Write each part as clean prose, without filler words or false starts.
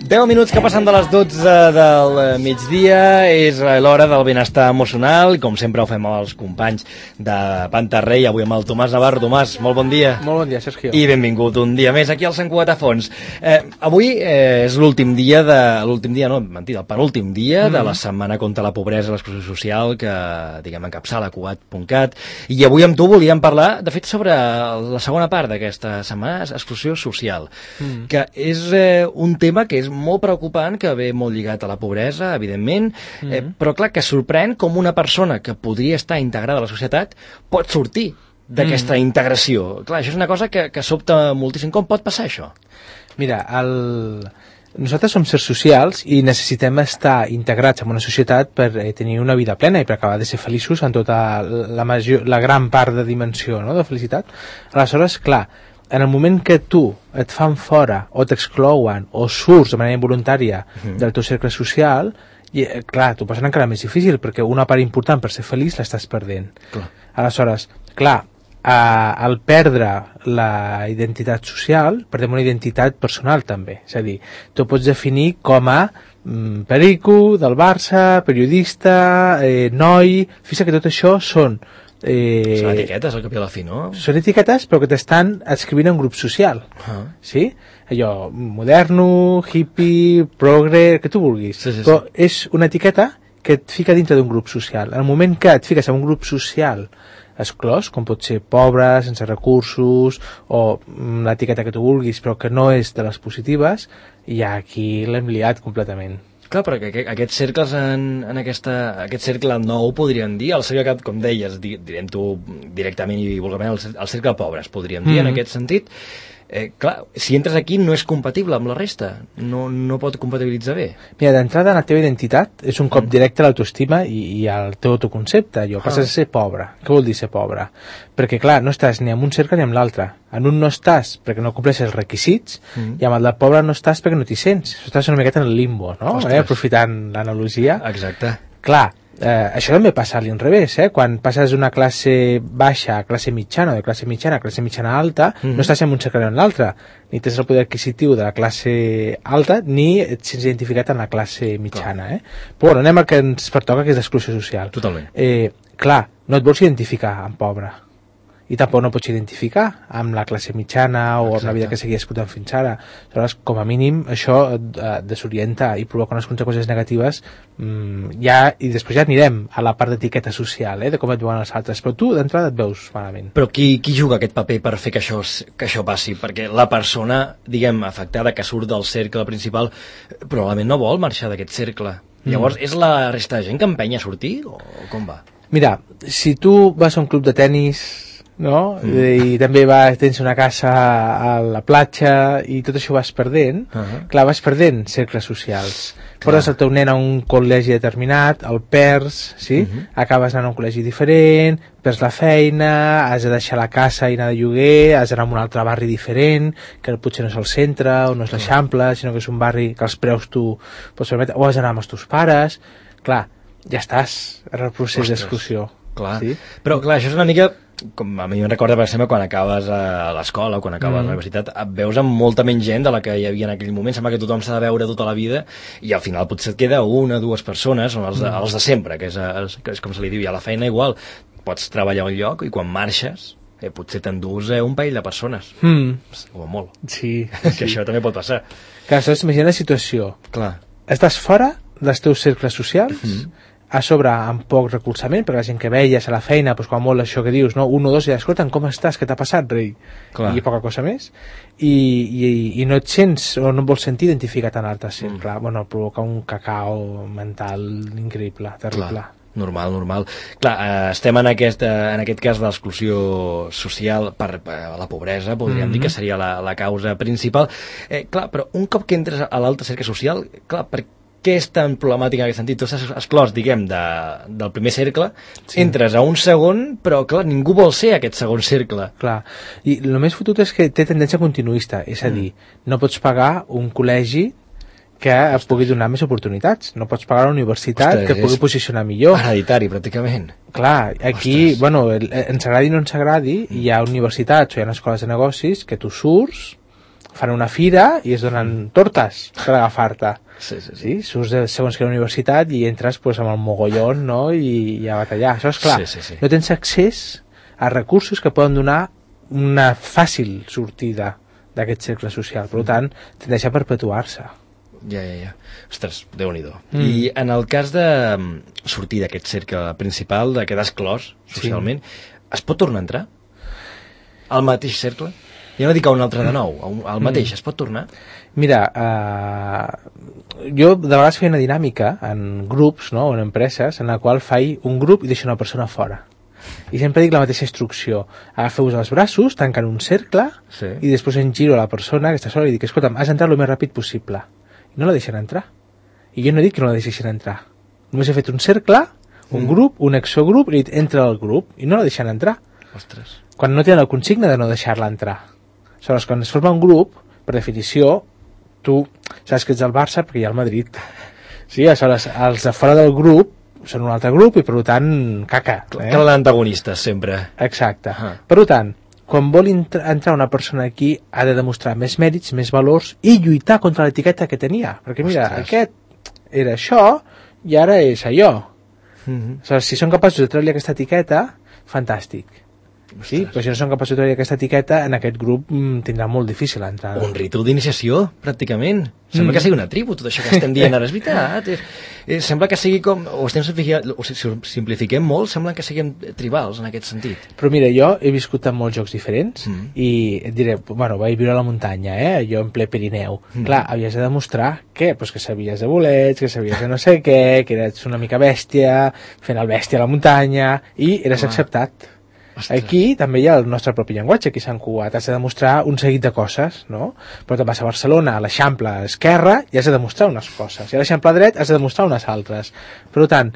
10 minuts que passen de les 12 del migdia, és l'hora del benestar emocional, i com sempre ho fem amb els companys de Pantarrey, avui amb el Tomàs Navarro. Tomàs, molt bon dia. Molt bon dia, Sergio. I benvingut un dia més aquí al Sant Cugat a Fons. Avui és l'últim dia el penúltim dia de la setmana contra la pobresa i l'exclusió social que, diguem, encapçala Cugat.cat, i avui amb tu volíem parlar, de fet, sobre la segona part d'aquesta setmana, exclusió social, que és un tema que és molt preocupant, que ve molt lligat a la pobresa, evidentment, però clar, que sorprèn com una persona que podria estar integrada a la societat pot sortir d'aquesta integració. Clar, això és una cosa que sobta moltíssim. Com pot passar això? Mira, nosaltres som sers socials i necessitem estar integrats en una societat per tenir una vida plena i per acabar de ser feliços en tota la gran part de dimensió, no?, de felicitat. Aleshores, clar, en el moment que tu et fan fora o t'exclouen o surts de manera involuntària del teu cercle social, i, clar, t'ho posen encara més difícil perquè una part important per ser feliç l'estàs perdent. Aleshores, clar, al perdre la identitat social perdem una identitat personal també, és a dir, tu pots definir com a perico del Barça, periodista, noi, fixa que tot això són són etiquetes al cap i a la fi, no? Són etiquetes però que t'estan escrivint en un grup social, sí? Allò, moderno, hippie, progre, que tu vulguis, però és una etiqueta que et fica dintre d'un grup social. En el moment que et fiques en un grup social exclòs, com pot ser pobre, sense recursos, o l'etiqueta que tu vulguis, però que no és de les positives, ja aquí l'hem liat completament. Clar, però aquests cercles aquest cercle nou, podríem dir, el cercle que, com deies, direm-t'ho directament i vulgarment, el cercle pobres, podríem dir, en aquest sentit. Clar, si entres aquí no és compatible amb la resta, no pot compatibilitzar bé. Mira, d'entrada la teva identitat és un cop directe a l'autoestima i al teu autoconcepte. Passes a ser pobre. Què vol dir ser pobre? Perquè clar, no estàs ni en un cercle ni en l'altre. En un no estàs perquè no compleixes els requisits i amb el de pobre no estàs perquè no t'hi sents. Estàs una miqueta en el limbo, no? Aprofitant l'analogia. Exacte. Clar, això també passa a l'inrevés, quan passes d'una classe baixa a classe mitjana, o de classe mitjana a classe mitjana alta, no estàs en un cercle ni en l'altre, ni tens el poder adquisitiu de la classe alta, ni et sents identificat en la classe mitjana. Però bueno, anem al que ens pertoca, que és l'exclusió social. Totalment. Clar, no et vols identificar amb pobre, i tampoc no pots identificar amb la classe mitjana o amb la vida que seguia escoltant fins ara. Aleshores, com a mínim, això et desorienta i provoca unes conseqüències negatives i després ja anirem a la part d'etiqueta social, de com et veuen els altres, però tu d'entrada et veus malament. Però qui juga aquest paper per fer que això passi? Perquè la persona, diguem, afectada, que surt del cercle principal, probablement no vol marxar d'aquest cercle. Llavors, és la resta de gent que empenya a sortir o com va? Mira, si tu vas a un club de tennis, no? I també tens una casa a la platja i tot això vas perdent, clar, vas perdent cercles socials. Portes el teu nen a un col·legi determinat, el perds, sí? Acabes anant a un col·legi diferent, perds la feina, has de deixar la casa i anar de lloguer, has d'anar a un altre barri diferent, que potser no és el centre o no és l'Eixample, sinó que és un barri que els preus tu pots permetre, o has d'anar amb els teus pares. Clar, ja estàs en el procés d'exclusió. Clar. Sí? Però clar, això és una mica, com a mi em recorda, per exemple, quan acabes a l'escola o quan acabes a la universitat, et veus amb molta menys gent de la que hi havia en aquell moment. Sembla que tothom s'ha de veure tota la vida i al final potser et queda una o dues persones, són els de sempre, que és com se li diu, i a la feina igual. Pots treballar a un lloc i quan marxes potser t'endús un parell de persones, o molt. Sí. Que això també pot passar. Clar, aleshores imagina la situació. Clar. Estàs fora dels teus cercles socials, a sobre amb poc recolzament, perquè la gent que veies a la feina, doncs quan molt això que dius, no? Un o dos, i escolta'm, com estàs, què t'ha passat, rei? Clar. I poca cosa més, i no et sents o no et vols sentir identificat en l'altre cercle. Bueno, provoca un cacao mental increïble, terrible. Clar. Normal. Clar, estem en aquest cas de l'exclusió social per la pobresa, podríem dir que seria la causa principal. Clar, però un cop que entres a l'altre cercle social, clar, què és tan problemàtic en aquest sentit? Tu estàs exclòs, diguem, del primer cercle, entres a un segon, però clar, ningú vol ser aquest segon cercle. Clar, i el més fotut és que té tendència continuista, és a dir, no pots pagar un col·legi que et pugui donar més oportunitats, no pots pagar una universitat que et pugui posicionar millor. Hereditari, pràcticament. Clar, aquí, bueno, ens agradi o no ens agradi, hi ha universitats o hi ha escoles de negocis que tu surts, fan una fira i es donen tortes per agafar-te. Sí. Surts de segons quina universitat i entres pues, amb el mogollon, no? I a batallar. Això és clar, Sí. no tens accés a recursos que poden donar una fàcil sortida d'aquest cercle social, per tant tendeix a perpetuar-se. Ja. Ostres, Déu-n'hi-do. I en el cas de sortir d'aquest cercle principal, de quedar exclòs socialment, es pot tornar a entrar? Al mateix cercle? Ja no dic a un altre de nou, al mateix, es pot tornar? Mira, jo de vegades feia una dinàmica en grups, no?, o en empreses, en la qual faig un grup i deixo una persona fora. I sempre dic la mateixa instrucció. Agafeu-vos els braços, tanquen un cercle, i després em giro a la persona que està sola i dic, escolta'm, has d'entrar el més ràpid possible. I no la deixen entrar. I jo no dic que no la deixessin entrar. Només he fet un cercle, un grup, un exogrup, i he dit, entra al grup, i no la deixen entrar. Ostres. Quan no tenen la consigna de no deixar-la entrar. Aleshores, quan es forma un grup, per definició, tu saps que ets el Barça perquè hi ha el Madrid. Sí, aleshores, els de fora del grup són un altre grup i, per tant, caca. Cal l'antagonistes, sempre. Exacte. Per tant, quan vol entrar una persona aquí, ha de demostrar més mèrits, més valors i lluitar contra l'etiqueta que tenia. Perquè, mira, aquest era això i ara és allò. Aleshores, si són capaços de treure-li aquesta etiqueta, fantàstic. Sí, però si no són capaços de treure aquesta etiqueta, en aquest grup tindrà molt difícil entrar. Un ritu d'iniciació, pràcticament. Sembla que sigui una tribu, tot això que estem dient ara, és veritat. Sembla que sigui com... O simplifiquem molt, sembla que siguem tribals en aquest sentit. Però mira, jo he viscut en molts jocs diferents i et diré, bueno, vaig viure a la muntanya, jo en ple Pirineu. Clar, havies de demostrar què? Pues que sabies de bolets, que sabies de no sé què, que eres una mica bèstia, fent el bèstia a la muntanya, i eres acceptat. Aquí també hi ha el nostre propi llenguatge, aquí a Sant Cugat, has de demostrar un seguit de coses, no? Però te'n vas a Barcelona, a l'Eixample esquerra, i has de demostrar unes coses, i a l'Eixample dret has de demostrar unes altres. Per tant,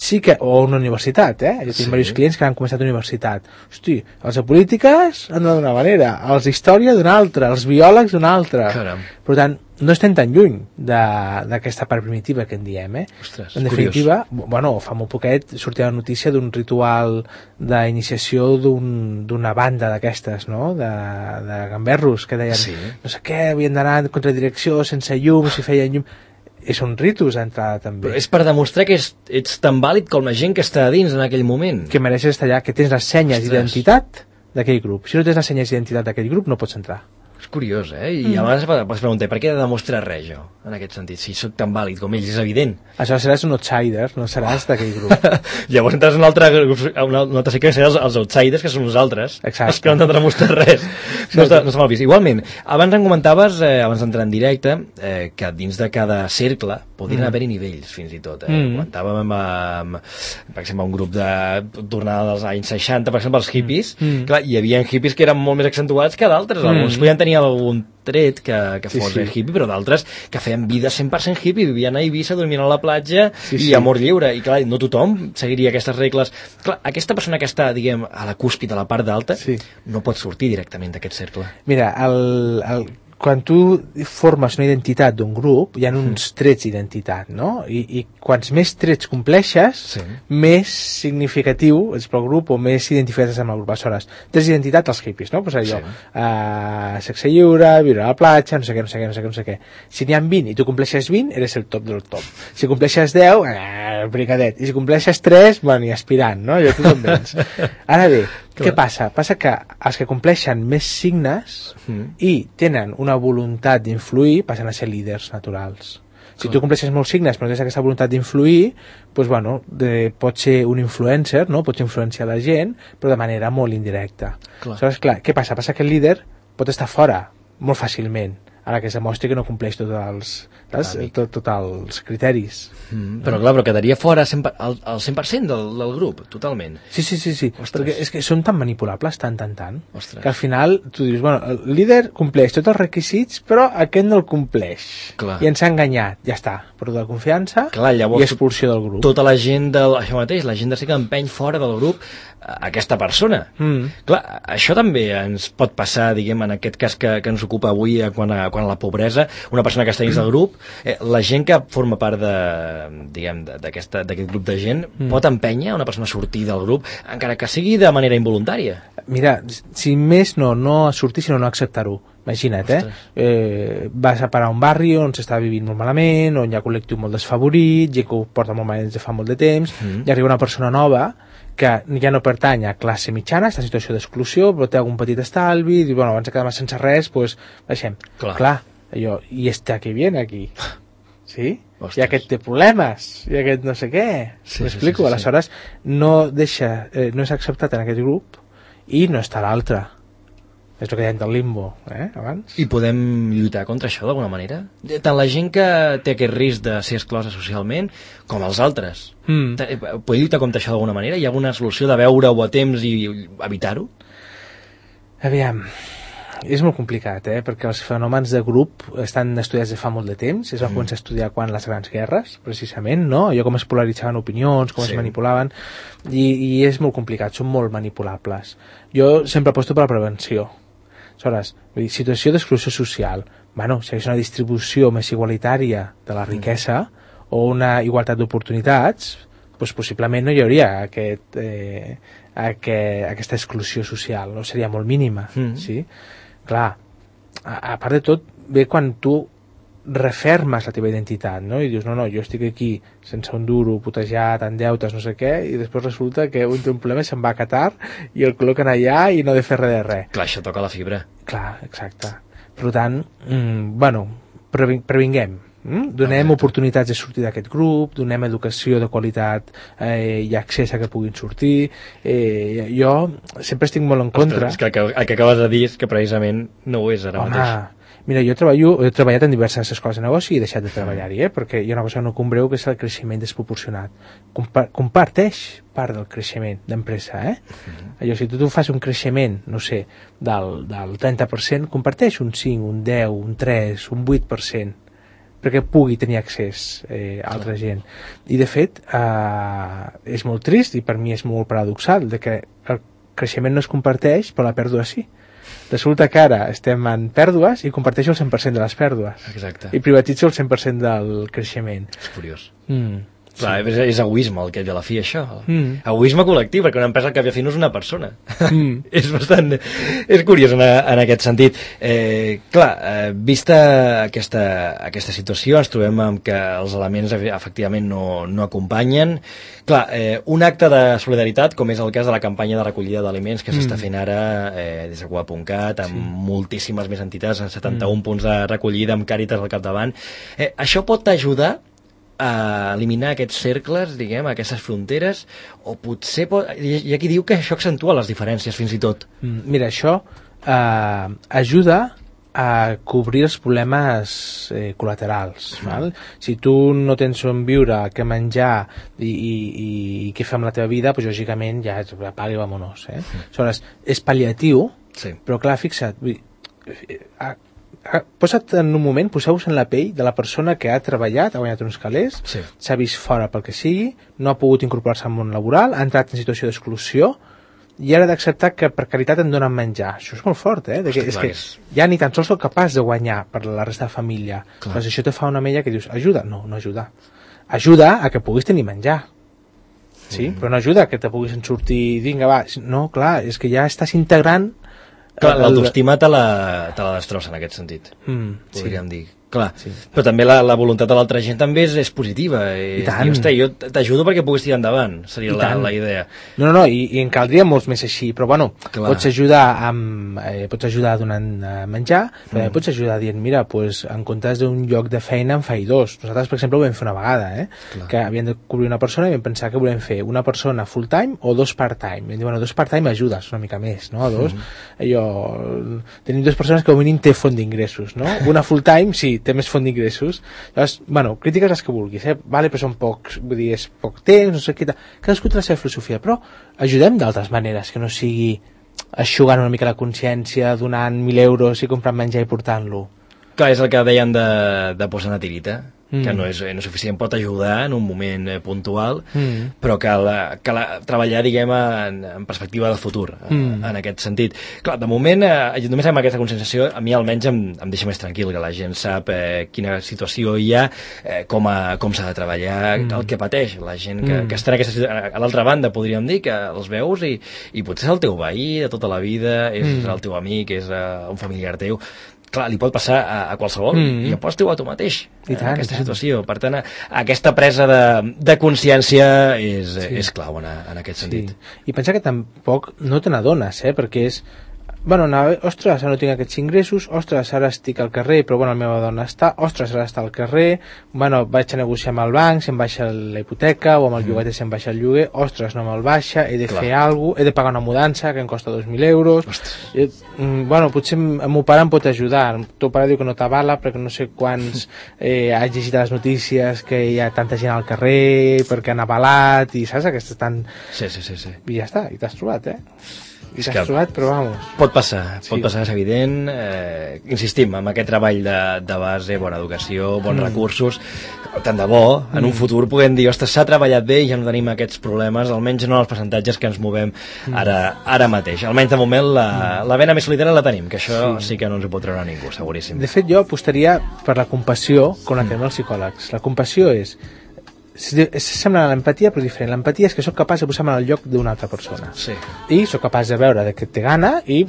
sí que... O una universitat, jo tinc diversos clients que han començat a universitat. Hosti, els de polítiques han d'una manera, els d'història d'una altra, els biòlegs d'una altra. Caram. Per tant, no estem tan lluny d'aquesta part primitiva que en diem, Ostres, en definitiva, bueno, fa molt poquet sortia la notícia d'un ritual d'iniciació d'una banda d'aquestes, no?, de gamberros, que deien, no sé què, havien d'anar en contradirecció, sense llum, si feien llum... Són ritus d'entrada també. Però és per demostrar que ets tan vàlid com la gent que està a dins en aquell moment. Que mereixes estar allà, que tens les senyes d'identitat d'aquell grup. Si no tens les senyes d'identitat d'aquell grup, no pots entrar. És curiós, I a vegades pots preguntar, per què he de demostrar res jo, en aquest sentit? Si sóc tan vàlid com ells, és evident. Això seràs un outsider, no seràs d'aquell grup. Llavors entres en un altre cicle que seràs els outsiders, que són nosaltres. Exacte. Els que no han de demostrar res. No està mal vist. Igualment, abans en comentaves, abans d'entrar en directe, que dins de cada cercle podrien haver-hi nivells, fins i tot. Comentàvem per exemple, un grup de tornada dels anys 60, per exemple, els hippies. Clar, hi havia hippies que eren molt més accentuats que d'altres. Alguns podien tenir algun tret que fos hippie, però d'altres que feien vida 100% hippie, vivien a Eivissa, dormien a la platja i amor lliure. I clar, no tothom seguiria aquestes regles. Clar, aquesta persona que està, diguem, a la cúspide, a la part d'alta, no pot sortir directament d'aquest cercle. Mira, quan tu formes una identitat d'un grup, hi ha uns trets d'identitat, no? I quants més trets compleixes, més significatiu és pel grup o més identificat amb el grup. Aleshores, trets d'identitat als hippies, no? Pues allò, sexe lliure, viure a la platja, no sé què. Si n'hi ha 20 i tu compleixes 20, eres el top del top. Si compleixes 10, el bricadet. I si compleixes 3, bueno, i aspirant, no? Ja tu te'n vens. Ara bé, què passa? Passa que els que compleixen més signes i tenen una voluntat d'influir passen a ser líders naturals. Si tu compleixes molts signes però tens aquesta voluntat d'influir, doncs, bueno, pots ser un influencer, no? Pots influenciar la gent, però de manera molt indirecta. Aleshores, clar, què passa? Passa que el líder pot estar fora molt fàcilment, a la que es demostri que no compleix tots els criteris. Però quedaria fora el 100% del grup, totalment. Sí, perquè és que són tan manipulables, tant, que al final tu dius, bueno, el líder compleix tots els requisits, però aquest no el compleix. I ens ha enganyat, ja està, perdó de confiança i expulsió del grup. Tota la gent això mateix, la gent de ser que empeny fora del grup aquesta persona. Clar, això també ens pot passar, diguem, en aquest cas que ens ocupa avui quan a la pobresa, una persona que està dins del grup, la gent que forma part d'aquest grup de gent pot empènyer una persona a sortir del grup, encara que sigui de manera involuntària. Mira, si més no a sortir, sinó no acceptar-ho. Imagina't, vas a parar a un barri on s'està vivint molt malament, on hi ha col·lectiu molt desfavorit, gent que ho porta molt malament des de fa molt de temps, i arriba una persona nova que ja no pertany a classe mitjana, està en situació d'exclusió, però té algun petit estalvi, i diu, bueno, abans de quedar-me sense res, doncs baixem. Clar, allò, i este que viene aquí, sí? Ostres. I aquest té problemes, i aquest no sé què, m'explico? Aleshores, no és acceptat en aquest grup, i no està l'altre. És el que dèiem del limbo, abans. I podem lluitar contra això d'alguna manera? Tant la gent que té aquest risc de ser exclosa socialment, com els altres. Podem lluitar contra això d'alguna manera? Hi ha alguna solució de veure-ho a temps i evitar-ho? Aviam, és molt complicat, perquè els fenòmens de grup estan estudiats de fa molt de temps, es va començar a estudiar quan les grans guerres, precisament, no? Allò com es polaritzaven opinions, com es manipulaven, i és molt complicat, són molt manipulables. Jo sempre aposto per la prevenció. Aleshores, situació d'exclusió social, bueno, si hi hagués una distribució més igualitària de la riquesa o una igualtat d'oportunitats, doncs possiblement no hi hauria aquesta exclusió social, no? Seria molt mínima, sí? Clar, a part de tot, ve quan tu refermes la teva identitat, no? I dius, no, jo estic aquí sense un duro, putejat, en deutes, no sé què, i després resulta que un té un problema i se'n va a Qatar i el col·loquen allà i no ha de fer res de res. Clar, això toca la fibra. Clar, exacte. Per tant, previnguem. Donem oportunitats de sortir d'aquest grup, donem educació de qualitat i accés a que puguin sortir. Jo sempre estic molt en contra. És que el que acabes de dir és que precisament no ho és ara mateix. Mira, jo he treballat en diverses escoles de negoci i he deixat de treballar-hi, perquè hi ha una cosa que no compreu, que és el creixement desproporcionat. Comparteix part del creixement d'empresa, Allò, si tu fas un creixement, no sé, del 30%, comparteix un 5, un 10, un 3, un 8%, perquè pugui tenir accés a altra gent. I, de fet, és molt trist, i per mi és molt paradoxal, de que el creixement no es comparteix, però la pèrdua sí. Resulta que ara estem en pèrdues i comparteixo el 100% de les pèrdues. Exacte. I privatitzo el 100% del creixement. És curiós. Clar, és egoisme el que ve a la fi, això. Egoisme col·lectiu, perquè una empresa al cap i a fi no és una persona. És curiós en aquest sentit. Clar, vista aquesta situació, ens trobem amb que els elements efectivament no acompanyen. Clar, un acte de solidaritat, com és el cas de la campanya de recollida d'aliments que s'està fent ara des de Cuba.cat, amb moltíssimes més entitats, en 71 punts de recollida, amb Càritas al capdavant. Això pot ajudar a eliminar aquests cercles, diguem, aquestes fronteres, o potser hi ha qui diu que això accentua les diferències fins i tot. Mira, això ajuda a cobrir els problemes col·laterals. Val? Si tu no tens on viure, què menjar i què fer amb la teva vida, doncs lògicament ja apaga i vamonos. Aleshores, és pal·liatiu, però clar, fixa't, posa't en un moment, poseu-vos en la pell de la persona que ha treballat, ha guanyat uns calés, s'ha vist fora pel que sigui, no ha pogut incorporar-se al món laboral, ha entrat en situació d'exclusió i ara d'acceptar que per caritat em donen menjar. Això és molt fort, és que ja ni tan sols sóc capaç de guanyar per la resta de família. Doncs això te fa una mella que dius, ajuda? No, no ajuda. Ajuda a que puguis tenir menjar. Sí? Però no ajuda a que te puguis sortir, vinga, va. No, clar, és que ja estàs integrant. Clar, l'autoestima te la destrossa en aquest sentit, podríem dir. Clar, però també la voluntat de l'altra gent també és positiva. I tant. Jo t'ajudo perquè puguis tirar endavant, seria la idea. No, i en caldria molts més així, però bueno, pots ajudar donant menjar, però pots ajudar dient, mira, pues, en comptes d'un lloc de feina en faig dos. Nosaltres, per exemple, ho vam fer una vegada, que havíem de cobrir una persona i vam pensar que volem fer una persona full-time o dos part-time. I vam dir, bueno, dos part-time ajudes una mica més, no? Tenim dues persones que al mínim té font d'ingressos, no? Una full-time, sí, té més font d'ingressos. Llavors, bueno, crítiques les que vulguis, vale, però són pocs, vull dir, és poc temps, no sé què, cadascú té la seva filosofia, però ajudem d'altres maneres, que no sigui eixugant una mica la consciència, donant 1.000 euros i comprant menjar i portant-lo. Clar, és el que deien de posar una tirita, que no és suficient, pot ajudar en un moment puntual, però cal treballar, diguem, en perspectiva de futur, en aquest sentit. Clar, de moment, només amb aquesta conscienciació, a mi almenys em deixa més tranquil, que la gent sap quina situació hi ha, com s'ha de treballar, el que pateix la gent que està en aquesta situació. A l'altra banda, podríem dir que els veus i potser és el teu veí de tota la vida, és el teu amic, és un familiar teu, clar, li pot passar a qualsevol i ja pots trobar tu mateix en aquesta situació. Per tant, aquesta presa de consciència és clau en aquest sentit. I pensa que tampoc no te n'adones, perquè és ostres, ara no tinc aquests ingressos, ostres, ara estic al carrer, però la meva dona està, ostres, ara està al carrer, vaig a negociar amb el banc, se'm baixa la hipoteca, o amb el lloguer se'm baixa el lloguer, ostres, no me'l baixa, he de fer alguna cosa, he de pagar una mudança que em costa 2.000 euros, potser el meu pare em pot ajudar, el teu pare diu que no t'avala perquè no sé quants has llegit a les notícies que hi ha tanta gent al carrer perquè han avalat, i saps, aquestes tan... Sí. I ja està, i t'has trobat, I t'has trobat, però vamos. Pot passar, és evident. Insistim, amb aquest treball de base, bona educació, bons recursos, tant de bo, en un futur puguem dir, ostres, s'ha treballat bé i ja no tenim aquests problemes, almenys no en els percentatges que ens movem ara mateix. Almenys de moment la vena més solidària la tenim, que això sí que no ens ho pot treure ningú, seguríssim. De fet, jo apostaria per la compassió, com la tenen els psicòlegs. La compassió és sembla l'empatia, però diferent. L'empatia és que sóc capaç de posar-me al lloc d'una altra persona. I sóc capaç de veure que té gana i,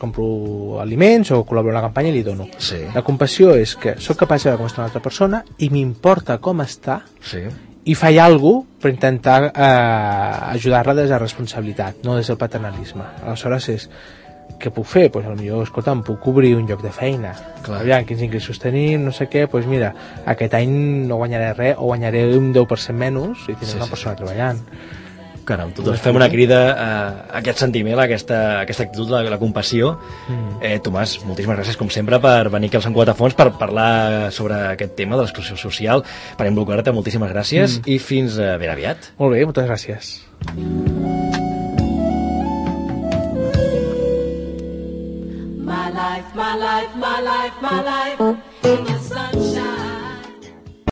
compro aliments o col·laboro en la campanya i li dono. La compassió és que sóc capaç de veure com està una altra persona i m'importa com està i faig alguna cosa per intentar ajudar-la des de la responsabilitat, no des del paternalisme. Aleshores és què puc fer? Doncs potser, escolta, em puc obrir un lloc de feina. Aviam, quins ingressos tenim, no sé què, doncs mira, aquest any no guanyaré res, o guanyaré un 10% menys i tindré una persona treballant. Caram, tots fem una crida a aquest sentiment, a aquesta actitud, la compassió. Tomàs, moltíssimes gràcies, com sempre, per venir aquí al Sant Cugat a Fons per parlar sobre aquest tema de l'exclusió social, per involucrar-te, moltíssimes gràcies, i fins ben aviat. Molt bé, moltes gràcies. My life, my life, my life, my life in the sunshine.